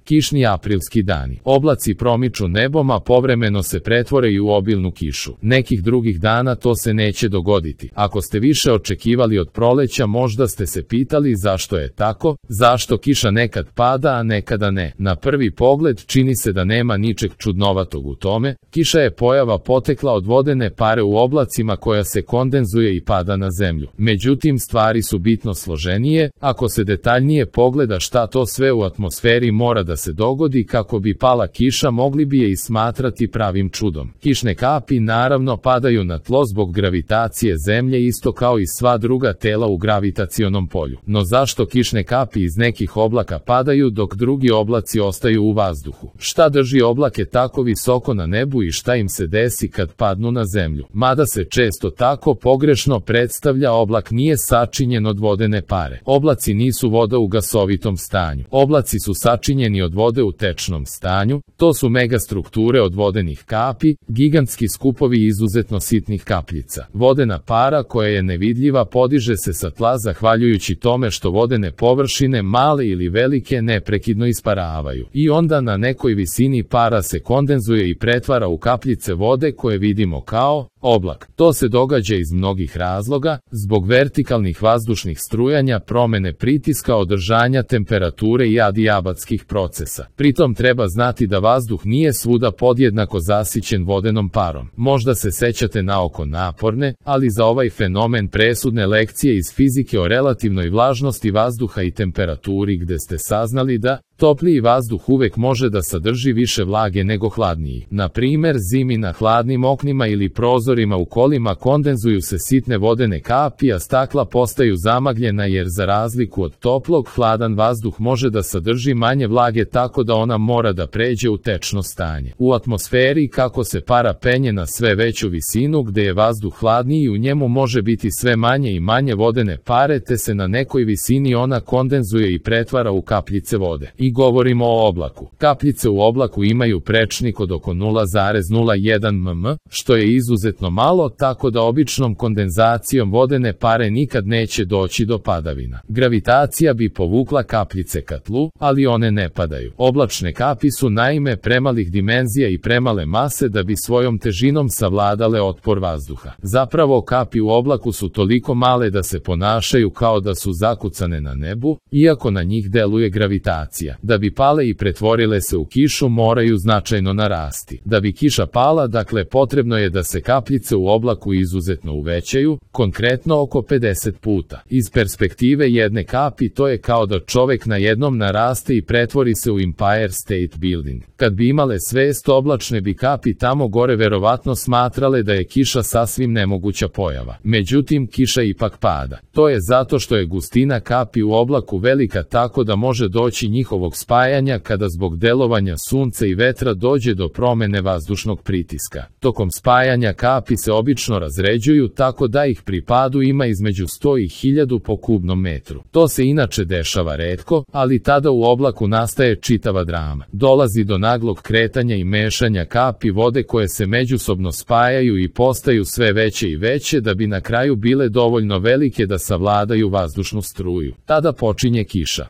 Kišni aprilski dani. Oblaci promiču nebom, a povremeno se pretvore i u obilnu kišu. Nekih drugih dana to se neće dogoditi. Ako ste više očekivali od proleća, možda ste se pitali zašto je tako, zašto kiša nekad pada, a nekada ne. Na prvi pogled čini se da nema ničeg čudnovatog u tome. Kiša je pojava potekla od vodene pare u oblacima koja se kondenzuje i pada na zemlju. Međutim, stvari su bitno složenije. Ako se detaljnije pogleda šta to sve u atmosferi mora da se dogodi kako bi pala kiša, mogli bi je i smatrati pravim čudom. Kišne kapi naravno padaju na tlo zbog gravitacije zemlje, isto kao i sva druga tela u gravitacionom polju. No zašto kišne kapi iz nekih oblaka padaju dok drugi oblaci ostaju u vazduhu? Šta drži oblake tako visoko na nebu i šta im se desi kad padnu na zemlju? Mada se često tako pogrešno predstavlja, oblak nije sačinjen od vodene pare. Oblaci nisu voda u gasovitom stanju. Oblaci su sačinjeni od vode u tečnom stanju. To su megastrukture od vodenih kapi, gigantski skupovi izuzetno sitnih kapljica. Vodena para koja je nevidljiva podiže se sa tla zahvaljujući tome što vodene površine, male ili velike, neprekidno isparavaju. I onda na nekoj visini para se kondenzuje i pretvara u kapljice vode koje vidimo kao oblak. To se događa iz mnogih razloga, zbog vertikalnih vazdušnih strujanja, promene pritiska, održanja temperature i adiabatskih procesa. Pritom treba znati da vazduh nije svuda podjednako zasićen vodenom parom. Možda se sećate naoko naporne, ali za ovaj fenomen presudne lekcije iz fizike o relativnoj vlažnosti vazduha i temperaturi, gde ste saznali da topliji vazduh uvek može da sadrži više vlage nego hladniji. Na primer, zimi na hladnim oknima ili prozorima u kolima kondenzuju se sitne vodene kapi, a stakla postaju zamagljena jer za razliku od toplog, hladan vazduh može da sadrži manje vlage, tako da ona mora da pređe u tečno stanje. U atmosferi, kako se para penje na sve veću visinu, gde je vazduh hladniji, u njemu može biti sve manje i manje vodene pare, te se na nekoj visini ona kondenzuje i pretvara u kapljice vode. I govorimo o oblaku. Kapljice u oblaku imaju prečnik od oko 0,01 mm, što je izuzetno malo, tako da običnom kondenzacijom vodene pare nikad neće doći do padavina. Gravitacija bi povukla kapljice ka tlu, ali one ne padaju. Oblačne kapi su naime premalih dimenzija i premale mase da bi svojom težinom savladale otpor vazduha. Zapravo, kapi u oblaku su toliko male da se ponašaju kao da su zakucane na nebu, iako na njih deluje gravitacija. Da bi pale i pretvorile se u kišu, moraju značajno narasti. Da bi kiša pala, dakle, potrebno je da se kapljice u oblaku izuzetno uvećaju, konkretno oko 50 puta. Iz perspektive jedne kapi to je kao da čovek na jednom naraste i pretvori se u Empire State Building. Kad bi imale svest, oblačne bi kapi tamo gore verovatno smatrale da je kiša sasvim nemoguća pojava. Međutim, kiša ipak pada. To je zato što je gustina kapi u oblaku velika, tako da može doći njihovog spajanja kada zbog delovanja sunca i vetra dođe do promene vazdušnog pritiska. Tokom spajanja kapi se obično razređuju tako da ih pri padu ima između 100 i 1000 po kubnom metru. To se inače dešava retko, ali tada u oblaku nastaje čitava drama. Dolazi do naglog kretanja i mešanja kapi vode koje se međusobno spajaju i postaju sve veće i veće da bi na kraju bile dovoljno velike da savladaju vazdušnu struju. Tada počinje kiša.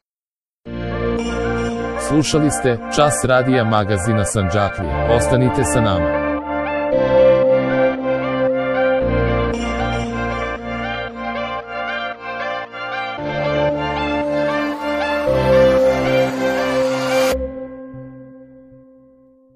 Slušali ste Čas radija magazina Sandžaklija. Ostanite sa nama.